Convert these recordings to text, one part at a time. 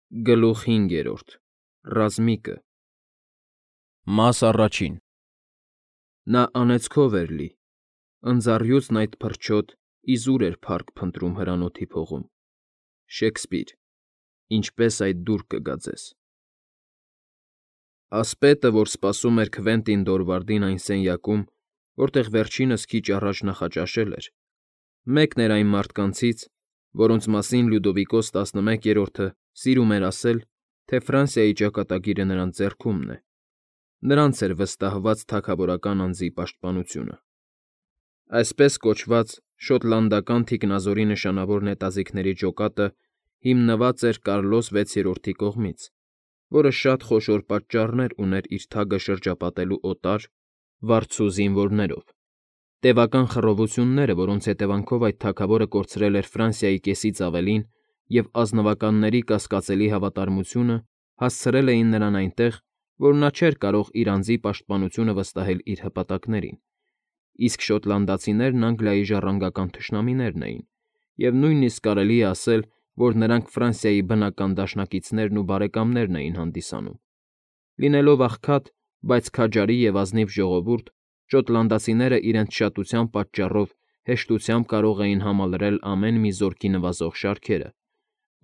Գլուխ 5 Ռազմիկը Մաս առաջին Նա անեծքով էր լի, ընձառյուծն այդ փրչոտ Իզուր էր փառք փնտրում հրանոթի փողում, Շեքսպիր, ինչպես այդ դուր կգա ձեզ։ Ասպետը, որ սպասում էր Քվենտին Դորվարդին այն սենյակում, որտեղ վերջինս քիչ առաջ նախաճաշել էր, մեկն էր այն մարդկանցից, որոնց մասին Լյուդովիկոս 11-րդը սիրում էր ասել, թե Ֆրանսիայի ճակատագիրը նրանց ձեռքումն է, նրանց էր վստահված թագավորական անձի պաշտպանությունը։ Այսպես կոչված շոտլանդական թիկնազորի նշանավոր նետաձիգների ջոկատը հիմնված էր Կարլոս VI-րդի կողմից, որը շատ խոշոր պատճառներ ուներ իր թագը շրջապատելու օտար, վարձու զինվորներով, տևական խռովությունները, որոնց հետևանքով այդ թագավորը կորցրել էր Ֆրանսիայի կեսից ավելին և ազնվականների կասկածելի հավատարմությունը հասցրել էին նրան այնտեղ, որ նա չէր կարող իր անձի պաշտպանությունը վստահել իր հպատակներին, իսկ շոտլանդացիներն Անգլիայի ժառանգական թշնամիներն էին, և նույնիսկ կարելի է ասել, որ նրանք Ֆրանսիայի բնական դաշնակիցներն ու բարեկամներն էին հանդիսանում։ Լինելով աղքատ, բայց քաջարի և ազնիվ ժողովուրդ, շոտլանդացիները իրենց շատության պատճառով հեշտությամբ կարող էին համալրել ամեն մի զորքի նվազող շարքերը,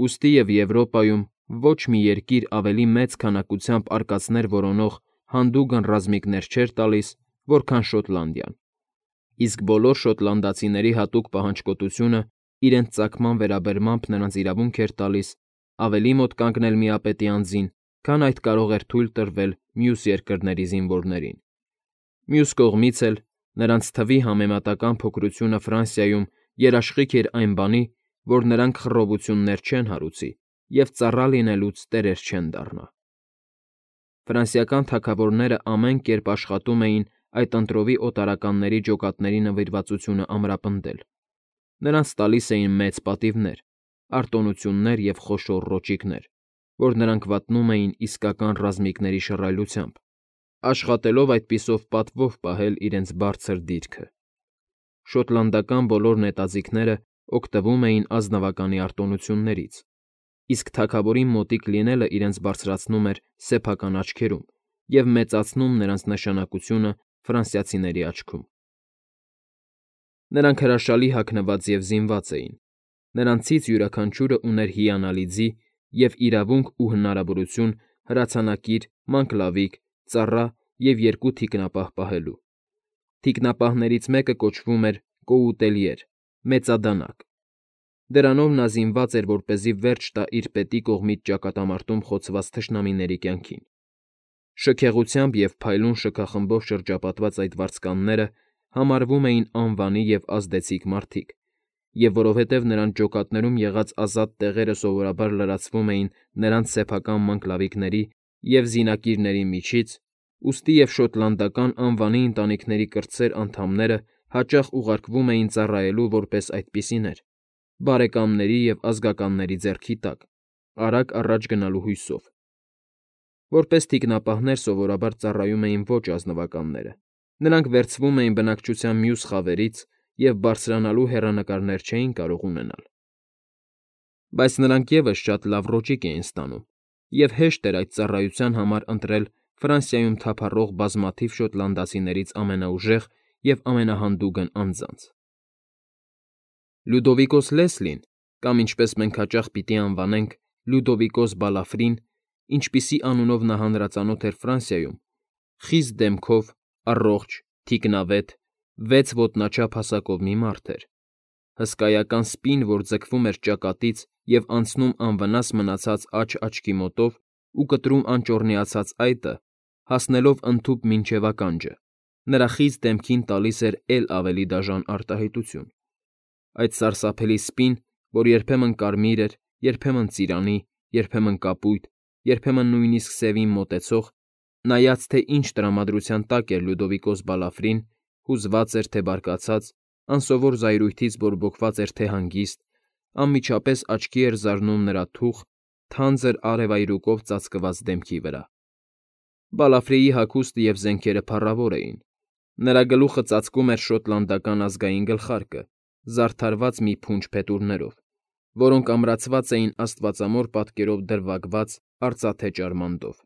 ուստի և Եվրոպայում ոչ մի երկիր ավելի մեծ քանակությամբ արկածներ որոնող հանդուգն ռազմիկներ չէր տալիս, որքան Շոտլանդիան, իսկ բոլոր շոտլանդացիների հատուկ պահանջկոտությունը իրենց ծագման վերաբերմամբ նրանց իրավունք էր տալիս ավելի մոտ կանգնել միապետի անձին, քան այդ կարող էր թույլ տրվել մյուս երկրների զինվորներին։ Մյուս կողմից էլ, նրանց թվի համեմատական փոքրությունը Ֆրանսիայում երաշխիք էր այն բանի, որ նրանք խռովություններ չեն հարուցի և ծառա լինելուց տերեր չեն դառնա։ Ֆրանսիական թագավորները ամեն կերպ աշխատում էին այդ ընտրովի օտարականների ջոկատների նվիրվածությունը ամրապնդել, նրանց տալիս էին մեծ պատիվներ, արտոնություններ և խոշոր ռոճիկներ, որ նրանք վատնում էին իսկական ռազմիկների շռայլությամբ, աշխատելով այդպիսով պատվով պահել իրենց բարձր դիրքը։ Շոտլանդական բոլոր նետաձիգները օգտվում էին ազնվականի արտոնություններից, իսկ թագավորի մոտիկ լինելը իրենց բարձրացնում էր սեփական աչքերում և մեծացնում նրանց նշանակությունը ֆրանսիացիների աչքում։ Նրանք հրաշալի հագնված և զինված էին, նրանցից յուրաքանչյուրը ուներ հիանալի ձի և իրավունք ու հնարավորություն հրացանակիր, մանկլավիկ, ծառա և երկու թիկնապահ պահելու։ Թիկնապահներից մեկը կոչվում էր Կոուտելիեր, մեծադանակ։ Դրանով նա զինված էր, որպեսզի վերջ տա իր պետի կողմից ճակատամարտում խոցված թշնամիների կյանքին։ Շքեղությամբ և փայլուն շքախմբով շրջապատված այդ վարձկանները համարվում էին անվանի և ազդեցիկ մարդիկ, և որովհետև նրանց ջոկատներում եղած ազատ տեղերը սովորաբար լրացվում էին նրանց սեփական մանկլավիկների և զինակիրների միջից, ուստի և շոտլանդական անվանի ընտանիքների կրտսեր անդամները հաճախ ուղարկվում էին ծառայելու որպես այդպիսիներ, բարեկամների և ազգականների ձեռքի տակ, արագ առաջ գնալու հույսով։ Որպես թիկնապահներ սովորաբար ծառայում էին ոչ ազնվականները, նրանք վերցվում էին բնակչության մյուս խավերից և բարձրանալու հեռանկարներ չէին կարող ունենալ։ Բայց նրանք ևս շատ լավ ռոճիկ էին ստանում, և հեշտ էր այդ ծառայության համար ընտրել Ֆրանսիայում թափառող բազմաթիվ շոտլանդացիներից ամենաուժեղ և ամենահանդուգն անձանց։ Լյուդովիկոս Լեսլին, կամ ինչպես մենք հաճախ պիտի անվանենք Լյուդովիկոս Բալաֆրին, ինչպիսի անունով նա հանրածանոթ էր Ֆրանսիայում, խիստ դեմքով, առողջ, թիկնավետ, 6 ոտնաչափ հասակով մի մարդ էր, հսկայական սպին, որ ձգվում էր ճակատից և անցնում անվնաս մնացած աջ աչքի մոտով ու կտրում անճոռնիացած այտը, հասնելով ընդհուպ մինչև ականջը, նրա խիտ դեմքին տալիս էր էլ ավելի դաժան արտահայտություն։ Այդ սարսափելի սպին, որ երբեմն կարմիր էր, երբեմն ծիրանի, երբեմն կապույտ, երբեմն նույնիսկ սևին մոտեցող, նայած թե ինչ տրամադրության տակ էր Լյուդովիկոս Բալաֆրին, հուզված էր թե բարկացած, անսովոր զայրույթից բորբոքված էր թե հանգիստ, անմիջապես աչքի էր զարնում նրա թուխ, թանձր արևայրուկով ծածկված դեմքի վրա։ Բալաֆրիի հագուստը և զենքերը փառավոր էին։ Նրա գլուխը ծածկում էր շոտլանդական ազգային գլխարկը, զարդարված մի փունջ փետուրներով, որոնք ամրացված էին աստվածամոր պատկերով դրվագված արծաթե ճարմանդով։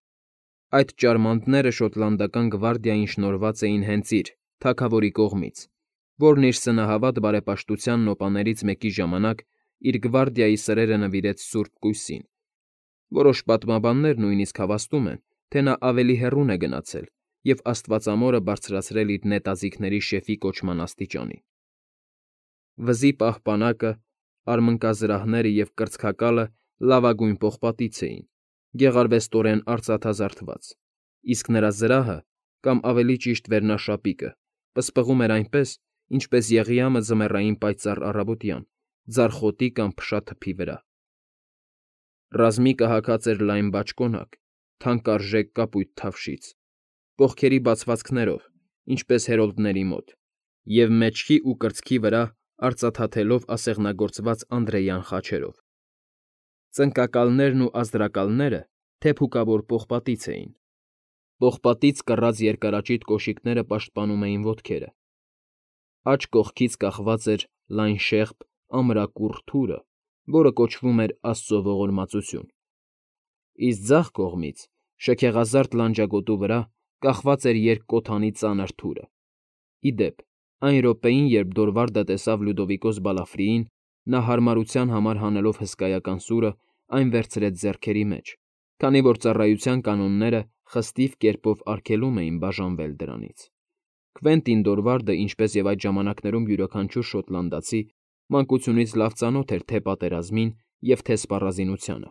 Այդ ճարմանդները շոտլանդական գվարդիային շնորհված էին հենց իր, թագավորի կողմից, որն իր սնահավատ բարեպաշտության նոպաներից մեկի ժամանակ իր գվարդիայի սրերը նվիրեց Սուրբ Կույսին։ Որոշ պատմաբաններ նույնիսկ հավաստում են, թե նա ավելի հեռուն է գնացել և աստվածամորը բարձրացրել իր նետաձիգների շեֆի կոչման աստիճանի։ Վզի պահպանակը, արմնկազրահները և կրծքակալը լավագույն պողպատից էին, գեղարվեստորեն արծաթազարդված, իսկ նրա զրահը, կամ ավելի ճիշտ վերնաշապիկը, պսպղում էր այնպես, ինչպես եղիամը ձմեռային պայծառ առավոտյան, ձարխոտի կամ փշա թփի վրա։ Ռազմիկը հագած էր լայն բաճկոնակ, թանկարժեք կապույտ թավշից, պողքերի բացվածքներով, ինչպես հերոլդների մոտ, և մեջքի ու կրծքի վրա արծաթաթելով ասեղնագործված անդրեյան խաչերով։ Ծնկակալներն ու ազդրակալները թեփուկավոր պողպատից էին։ Պողպատից կռած երկարաճիտ կոշիկները պաշտպանում էին ոտքերը։ Աջ կողքից կախված էր լայն շեղբ, ամրակուռ թուրը, որը կոչվում էր Աստծո ողորմածություն, իսկ ձախ կողմից, շքեղազարդ լանջագոտու վրա, կախված էր երկկոթանի ծանր թուրը։ Ի դեպ, այն րոպեին, երբ Դորվարդը տեսավ Լյուդովիկոս Բալաֆրիին, նա հարմարության համար հանելով հսկայական սուրը, այն վերցրեց ձեռքերի մեջ, քանի որ ծառայության կանոնները խստիվ կերպով արգելում էին բաժանվել դրանից։ Քվենտին Դորվարդը, ինչպես և այդ ժամանակներում յուրաքանչյուր շոտլանդացի, մանկությունից լավ ծանոթ էր թե պատերազմին և թե սպառազինությանը,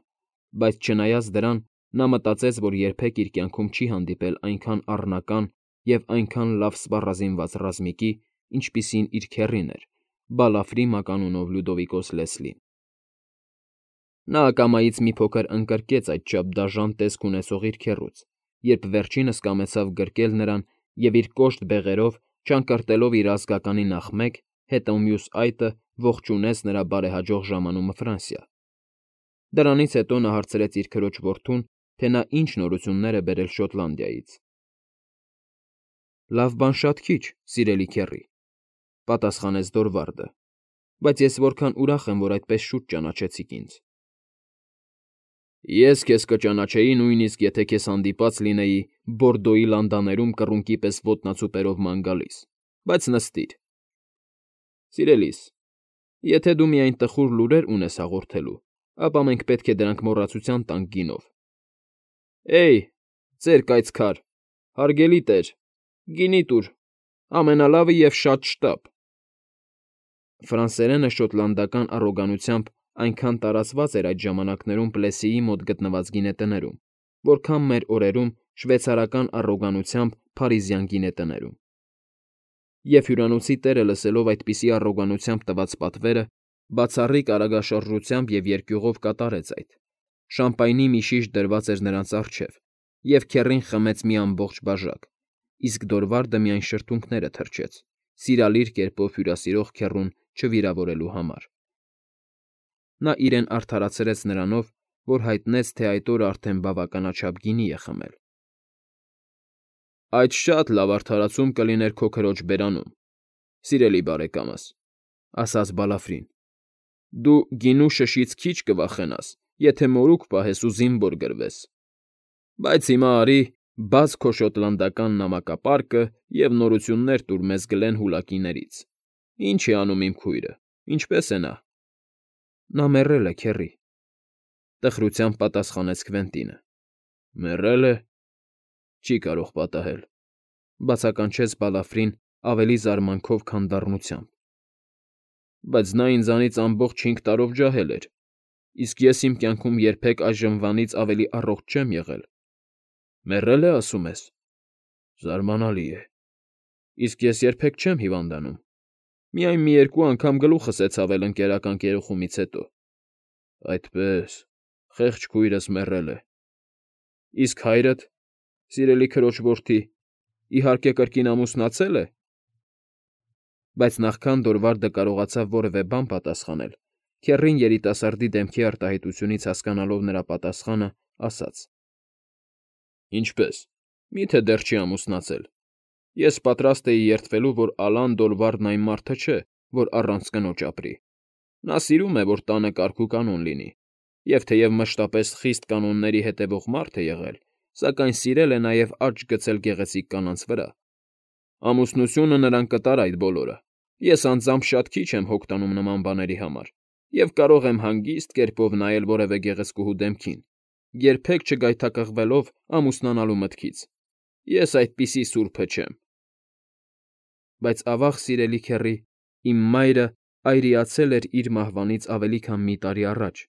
բայց չնայած դրան, նա մտածեց, որ երբեք իր կյանքում չի հանդիպել այնքան առնական և այնքան լավ սպառազինված ռազմիկի, ինչպիսին իր քեռին էր, Բալաֆրի մականունով Լյուդովիկոս Լեսլին։ Նա ակամայից մի փոքր ընկրկեց այդչափ դաժան տեսք ունեցող իր քեռուց, երբ վերջինս կամեցավ գրկել նրան և իր կոշտ բեղերով, չանկրտելով իր ազգականի նախ մեկ, հետո մյուս այտը ողջունեց նրա բարեհաջող ժամանումը Ֆրանսիա։ Դրանից հետո նա հարցրեց իր քրոջ որդուն, թե նա ինչ նորություններ է բերել Շոտլանդիայից։ Լավ բան շատ քիչ, սիրելի քեռի, պատասխանեց Դորվարդը, բայց ես որքան ուրախ եմ, որ այդպես շուտ ճանաչեցիք ինձ։ Ես քեզ կճանաչեի նույնիսկ, եթե քեզ հանդիպած լինեի Բորդոյի լանդաներում կռունկի պես ոտնացուպերով ման գալիս, բայց նստիր։ Սիրելիս, եթե դու միայն տխուր լուրեր ունես հաղորդելու, ապա մենք պետք է դրանք մոռացության տանք գինով։ Էյ, ծեր կայծքար, հարգելի տեր, գինի տուր, ամենալավը և շատ շտապ։ Ֆրանսերենը շոտլանդական առոգանությամբ այնքան տարածված էր այդ ժամանակներում Պլեսիի մոտ գտնված գինետներում, որքան մեր օրերում շվեյցարական առոգանությամբ փարիզյան գինետներում։ Եվ հյուրանոցի տերը լսելով այդպիսի առոգանությամբ տված պատվերը, բացառիկ արագաշարժությամբ և երկյուղով կատարեց այդ։ Շամպայնի մի շիշ դրված էր նրանց առջև, և քեռին խմեց մի ամբողջ բաժակ, իսկ Դորվարդը միայն շրթունքները թրջեց, սիրալիր կերպով հյուրասիրող քեռուն չվիրավորելու համար։ Նա իրեն արդարացրեց նրանով, որ հայտնեց, թե այդ օրը արդեն բավականաչափ գինի է խմել։ Այդ շատ լավ արդարացում կլիներ քո քրոջ բերանում, սիրելի բարեկամս, ասաց Բալաֆրին։ Դու գինու շշից քիչ կվախենաս, եթե մորուք պահես ու զինվոր գրվես։ Բայց հիմա արի, բաց քո շոտլանդական նամակապարկը և նորություններ տուր մեզ Գլեն Հուլակիներից։ Ինչ է անում իմ քույրը, ինչպե՞ս է նա։ Նա մեռել է, քեռի, տխրությամբ պատասխանեց Քվենտինը։ Մեռել է։ Չի կարող պատահել, բացականչեց Բալաֆրին ավելի զարմանքով, քան դառնությամբ։ Բայց նա ինձանից ամբողջ 5 տարով ջահել էր, իսկ ես իմ կյանքում երբեք այժմվանից ավելի առողջ չեմ եղել։ Մեռել է, ասում ես։ Զարմանալի է։ Իսկ ես երբեք չեմ հիվանդանում։ Միայն մի երկու անգամ գլուխս է ցավել ընկերական կերոխումից հետո։ Այդպե՜ս, խեղճ քույրս մեռել է։ Իսկ հայրդ, սիրելի քրոջ որդի, իհարկե կրկին ամուսնացել է։ Բայց նախքան Դորվարդը կարողացավ որևէ բան պատասխանել, քեռին երիտասարդի դեմքի արտահայտությունից հասկանալով նրա պատասխանը, ասաց. Ինչպե՞ս, մի՞թե դեռ չի ամուսնացել։ Ես պատրաստ էի երդվելու, որ Ալան Դորվարդն այն մարդը չէ, որ առանց կնոջ ապրի։ Նա սիրում է, որ տանը կարգ ու կանոն լինի, և թեև մշտապես խիստ կանոնների հետևող մարդ է եղել, սակայն սիրել է նաև աչք գցել գեղեցիկ կանանց վրա։ Ամուսնությունը նրան կտար այդ բոլորը։ Ես անձամբ շատ քիչ եմ հոգ տանում նման բաների համար և կարող եմ հանգիստ կերպով նայել որևէ գեղեցկուհու դեմքին, երբեք չգայթակղվելով ամուսնանալու մտքից։ Ես այդպիսի սուրբը չեմ։ Բայց ավաղ, սիրելի քեռի, իմ մայրը այրիացել էր իր մահվանից ավելի քան մի տարի առաջ,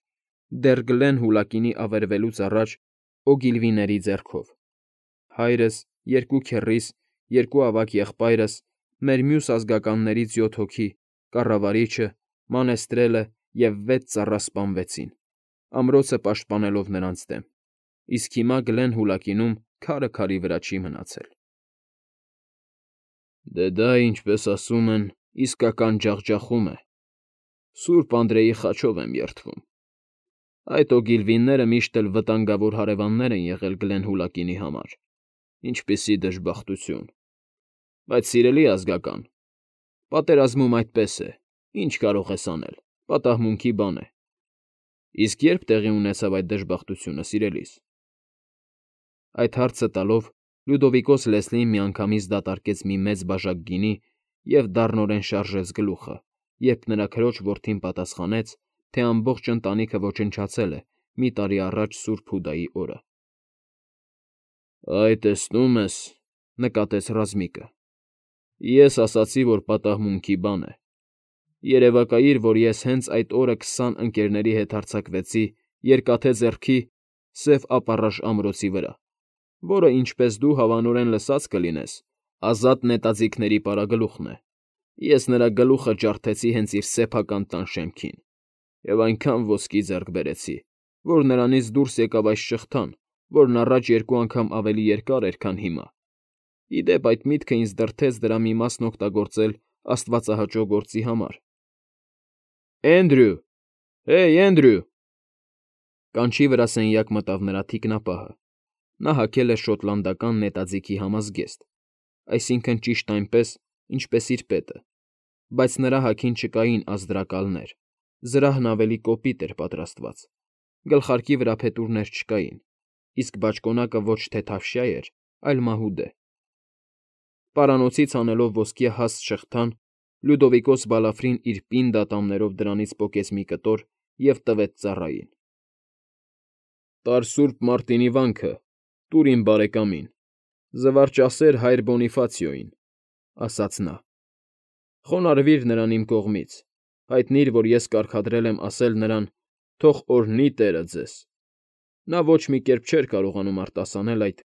դեռ Գլեն Հուլակինի ավերվելուց առաջ Օգիլվիների ձեռքով։ Հայրս, երկու քեռիս, երկու ավագ եղբայրս, մեր մյուս ազգականներից 7 հոգի, կառավարիչը, մանեստրելը և 6 ծառա սպանվեցին, ամրոցը պաշտպանելով նրանց դեմ, իսկ հիմա Գլեն Հուլակինում քարը քարի վրա չի մնացել։ Դե դա, ինչպես ասում են, իսկական ջախջախում է։ Սուրբ Անդրեի խաչով եմ երդվում։ Այդ Օգիլվիները միշտ էլ վտանգավոր հարևաններ են եղել Գլեն Հուլակինի համար։ Ինչպիսի դժբախտություն։ Բայց սիրելի ազգական, պատերազմում այդպես է, ինչ կարող ես անել, պատահմունքի բան է։ Իսկ ե՞րբ տեղի ունեցավ այդ դժբախտությունը, սիրելիս։ Այդ հարցը տալով Լյուդովիկոս Լեսլին միանգամից դատարկեց մի մեծ բաժակ գինի և դառնորեն շարժեց գլուխը, երբ նրա քրոջ որդին պատասխանեց, թե ամբողջ ընտանիքը ոչնչացել է մի տարի առաջ Սուրբ Հուդայի օրը։ Այ, տեսնում ես, նկատեց Ռազմիկը, ես ասացի, որ պատահմունքի բան է։ Երևակայիր, որ ես հենց այդ օրը 20 ընկերների հետ հարձակվեցի Երկաթե Ձեռքի Սև Ապառաշ ամրոցի վրա, որը, ինչպես դու հավանորեն լսած կլինես, Ազատ նետաձիգների պարագլուխն է։ Ես նրա գլուխը ջարդեցի հենց իր սեփական տան շեմքին և այնքան ոսկի ձեռք բերեցի, որ նրանից դուրս եկավ այս շղթան, որն առաջ 2 անգամ ավելի երկար էր, քան հիմա։ Ի դեպ, այդ միտքը ինձ դրդեց դրա մի մասն օգտագործել աստվածահաճո գործի համար։ Էնդրյու, հեյ, Էնդրյու… Կանչի վրա սենյակ մտավ նրա թիկնապահը։ Նա հագել էր շոտլանդական նետաձիգի համազգեստ, այսինքն՝ ճիշտ այնպես, ինչպես իր պետը, բայց նրա հագին չկային ազդրակալներ, զրահն ավելի կոպիտ էր պատրաստված, գլխարկի վրա փետուրներ չկային, իսկ բաճկոնակը ոչ թե թավշյա էր, այլ մահուդե։ Պարանոցից հանելով ոսկե հաստ շղթան, Լյուդովիկոս Բալաֆրին իր պինդ ատամներով դրանից պոկեց մի կտոր և տվեց ծառային։ Տարր Սուրբ Մարտինի վանքը, տուր իմ բարեկամին, զվարճասեր հայր Բոնիֆացիոին, ասաց նա։ Խոնարհվիր նրան իմ կողմից, հայտնիր, որ ես կարգադրել եմ ասել նրան. «Թող օրհնի Տերը ձեզ»։ Նա ոչ մի կերպ չէր կարողանում արտասանել այդ,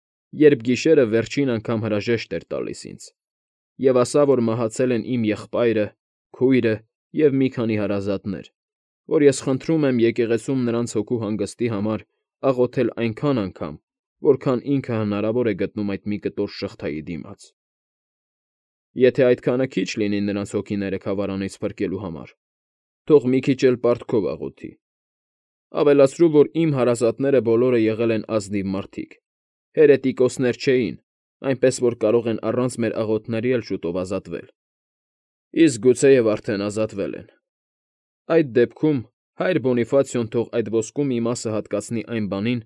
երբ գիշերը վերջին անգամ հրաժեշտ էր տալիս ինձ, և ասա, որ մահացել են իմ եղբայրը, քույրը և մի քանի հարազատներ, որ ես խնդրում եմ եկեղեցում նրանց հոգու հանգստի համար աղոթել այնքան անգամ, որքան ինքը հնարավոր է գտնում այդ մի կտոր շղթայի դիմաց։ Եթե այդքանը քիչ լինի նրանց հոգիները քավարանից փրկելու համար, թող մի քիչ էլ պարտքով աղոթի։ Ավելացրու, որ իմ հարազատները բոլորը եղել են ազնիվ մարդիկ, հերետիկոսներ չէին, այնպես որ կարող են առանց մեր աղոթների էլ շուտով ազատվել։ Իսկ գուցեև արդեն ազատվել են։ Այդ դեպքում հայր Բոնիֆացիոն թող այդ ոսկու մի մասը հատկացնի այն բանին,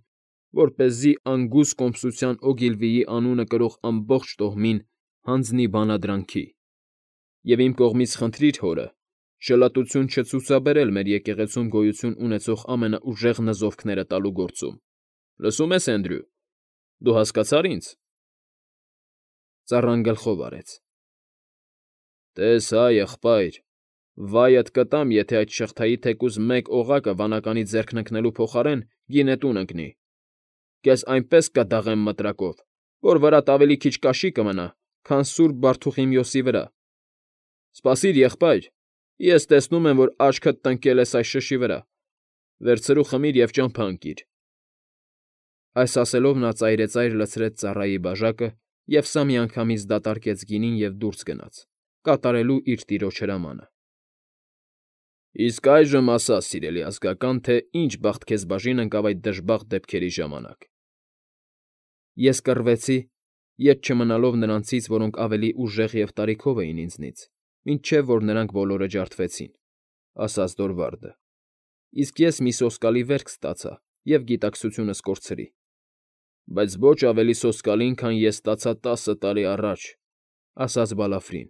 որպեսզի անգուս կոմսության Օգիլվիի անունը կրող ամբողջ տոհմին հանձնի բանադրանքի։ Եվ իմ կողմից խնդրիր հորը ժլատություն չցուցաբերել մեր եկեղեցում գոյություն ունեցող ամենաուժեղ նզովքները տալու գործում։ Լսո՞ւմ ես, Էնդրյու, դու հասկացա՞ր ինձ։ Ծառան գլխով արեց։ Տես հա, եղբայր, վայդ կտամ, եթե այդ շղթայի թեկուզ մեկ օղակը վանականի ձեռքն ընկնելու փոխարեն գինետուն ընկնի։ Քեզ այնպես կդաղեմ մտրակով, որ վրատ ավելի քիչ կաշի կմնա, քան Սուրբ Բարդուխիմեոսի վրա։ Սպասիր, եղբայր, ես տեսնում եմ, որ աչքդ տնկել ես այս շշի վրա։ Վերցրու, խմիր և ճամփա ընկիր։ Այս ասելով նա ծայրեծայր լցրեց ծառայի բաժակը և սա միանգամից դատարկեց գինին և դուրս գնաց, կատարելու իր տիրոջ հրամանը։ Իսկ այժմ ասա, սիրելի ազգական, թե ինչ բախտ քեզ բաժին ընկավ այդ դժբախտ դեպքերի ժամանակ։ Ես կռվեցի, ետ չմնալով նրանցից, որոնք ավելի ուժեղ և տարիքով էին ինձնից, մինչև որ նրանք բոլորը ջարդվեցին։ ասաց Դորվարդը։ Իսկ ես մի սոսկալի վերք ստացա և գիտակցությունս կորցրի։ Բայց ոչ ավելի սոսկալին, քան ես ստացա 10 տարի առաջ, ասաց Բալաֆրին։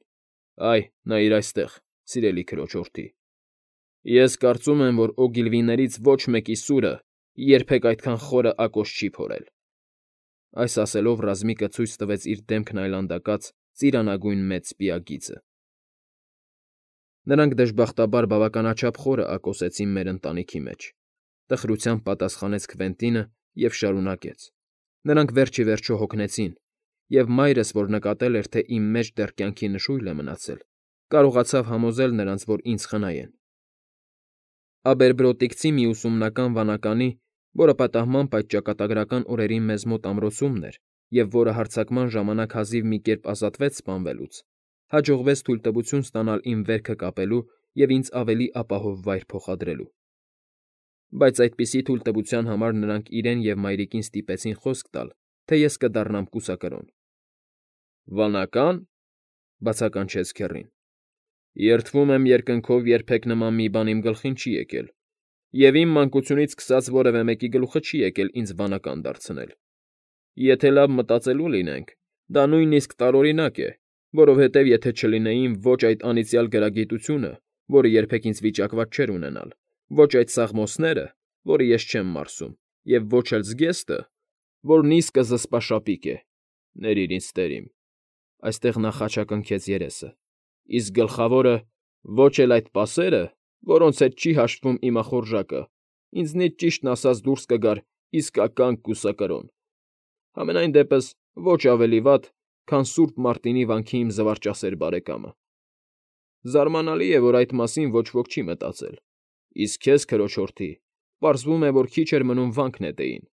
Այ, նայիր այստեղ, սիրելի քրոջորդի։ Ես կարծում եմ, որ Օգիլվիներից ոչ մեկի սուրը երբեք այդքան խորը ակոս չի փորել։ Այս ասելով ռազմիկը ցույց տվեց իր դեմքն այլանդակած ծիրանագույն մեծ սպիագիծը։ Նրանք դժբախտաբար բավականաչափ խորը ակոսեցին մեր ընտանիքի մեջ, տխրությամբ պատասխանեց Քվենտինը և շարունակեց. Նրանք վերջ ի վերջո հոգնեցին, և մայրս, որ նկատել էր, թե իմ մեջ դեռ կյանքի նշույլ է մնացել, կարողացավ համոզել նրանց, որ ինձ խնայեն։ Աբերբրոտիկցի մի ուսումնական վանականի, որը պատահմամբ այդ ճակատագրական օրերին մեզ մոտ ամրոցումն էր և որը հարձակման ժամանակ հազիվ մի կերպ ազատվեց սպանվելուց, հաջողվեց թույլտվություն ստանալ իմ վերքը կապելու և ինձ ավելի ապահով վայր փոխադրելու։ Բայց այդպիսի թույլտվության համար նրանք իրեն և մայրիկին ստիպեցին խոսք տալ, թե ես կդառնամ կուսակրոն։ Վանական,֊ բացականչեց քեռին։ Երդվում եմ երկնքով երբեք նման մի բան իմ գլխին չի եկել, և իմ մանկությունից սկսած որևէ մեկի գլուխը չի եկել ինձ վանական դարձնել։ Եթե լավ մտածելու լինենք, դա նույնիսկ տարօրինակ է, որովհետև եթե չլինեին ոչ այդ անիծյալ գրագիտությունը, որը երբեք ինձ վիճակված չէր ունենալ, ոչ այդ սաղմոսները, որը ես չեմ մարսում, և ոչ էլ զգեստը, որն իսկը զսպաշապիկ է, ներիր ինձ տերիմ, այստեղ նա խաչակնքեց երեսը, իսկ գլխավորը, ոչ էլ այդ պասերը, որոնց հետ չի հաշտվում իմախորժակը, ինձնից ճիշտն ասած դուրս կգար իսկական կուսակրոն, համենայն դեպս ոչ ավելի վատ, քան Սուրբ Մարտինի վանքի իմ զվարճասեր բարեկամը։ Զարմանալի է, որ այդ մասին ոչ ոք չի մտածել, իսկ քեզ, քրոջորդի, պարզվում է, որ քիչ էր մնում վանք նետեին։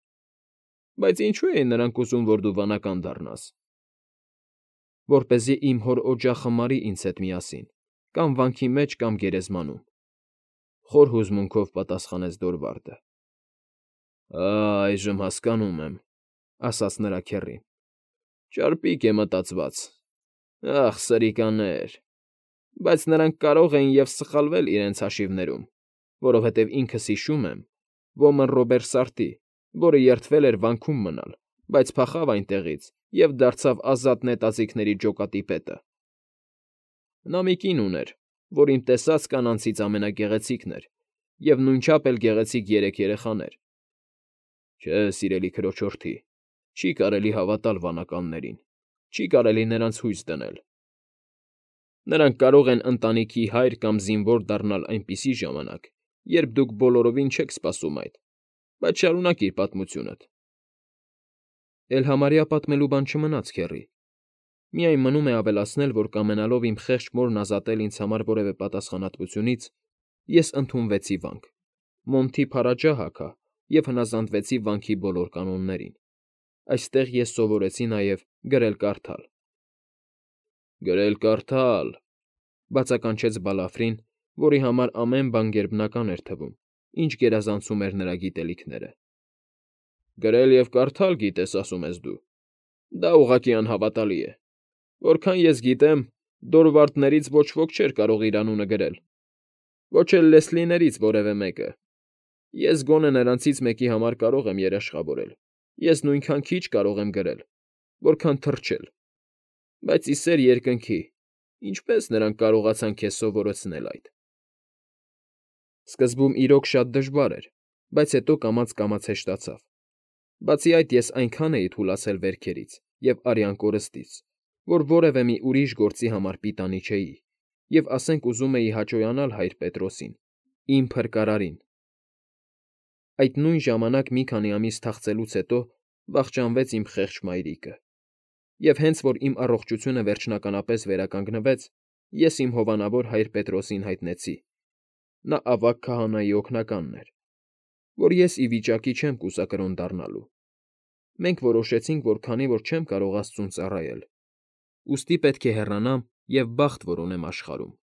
Բայց ինչո՞ւ էին նրանք ուզում, որ դու վանական դառնաս։ Որպեսզի իմ հոր օջախը մարի ինձ հետ միասին, կամ վանքի մեջ, կամ գերեզմանում,֊ խոր հուզմունքով պատասխանեց Դորվարդը։ Այժմ հասկանում եմ,֊ ասաց նրա քեռին։ Ճարպիկ է մտածված։ Ախ, սրիկաներ… Բայց նրանք կարող էին և սխալվել իրենց հաշիվներում, որովհետև ինքս հիշում եմ ոմն Ռոբեր Սարտի, որը երդվել էր վանքում մնալ, բայց փախավ այնտեղից և դարձավ ազատ նետաձիգների ջոկատի պետը։ Նա մի կին ուներ, որ իմ տեսած կանանցից ամենագեղեցիկն էր, և նույնչափ էլ գեղեցիկ 3 երեխաներ։ Չէ, սիրելի քրոջորդի, չի կարելի հավատալ վանականներին, չի կարելի նրանց հույս դնել։ Նրանք կարող են ընտանիքի հայր կամ զինվոր դառնալ այնպիսի ժամանակ, երբ դուք բոլորովին չեք սպասում այդ, բայց շարունակիր պատմությունդ։ Էլ համարյա պատմելու բան չմնաց, քեռի։ Միայն մնում է ավելացնել, որ կամենալով իմ խեղճ մորն ազատել ինձ համար որևէ պատասխանատվությունից, ես ընդունվեցի վանք, Մոնթի փարաջահ հագա և հնազանդվեցի վանքի բոլոր կանոններին։ Այստեղ ես սովորեցի նաև գրել֊կարդալ։ Գրել֊կարդալ,֊ բացականչեց Բալաֆրին, որի համար ամեն բան գերբնական էր թվում, ինչ գերազանցում էր նրա գիտելիքները։ Գրել և կարդալ գիտես, ասում ես դու։ Դա ուղղակի անհավատալի է։ Որքան ես գիտեմ, Դորվարդներից ոչ ոք չէր կարող իր անունը գրել, ոչ էլ Լեսլիներից որևէ մեկը։ Ես գոնե նրանցից մեկի համար կարող եմ երաշխավորել, ես նույնքան քիչ կարող եմ գրել, որքան թռչել։ Բայց ի սեր երկնքի, ինչպե՞ս նրանք կարողացան քեզ սովորեցնել այդ։ Սկզբում իրոք շատ դժվար էր, բայց հետո կամաց֊կամաց հեշտացավ։ Բացի այդ, ես այնքան էի թուլացել վերքերից և արյան կորստից, որ որևէ մի ուրիշ գործի համար պիտանի չէի, և ասենք ուզում էի հաճոյանալ հայր Պետրոսին, իմ փրկարարին։ Այդ նույն ժամանակ մի քանի ամիս թախծելուց հետո վախճանվեց իմ խեղճ մայրիկը, և հենց որ իմ առողջությունը վերջնականապես վերականգնվեց, ես իմ հովանավոր հայր Պետրոսին հայտնեցի (նա ավագ քահանայի օգնականն էր), որ ես ի վիճակի չեմ կուսակրոն դառնալու։ Մենք որոշեցինք, որ քանի որ չեմ կարող աստծուն ծառայել, ուստի պետք է հեռանամ և բախտ որոնեմ աշխարհում։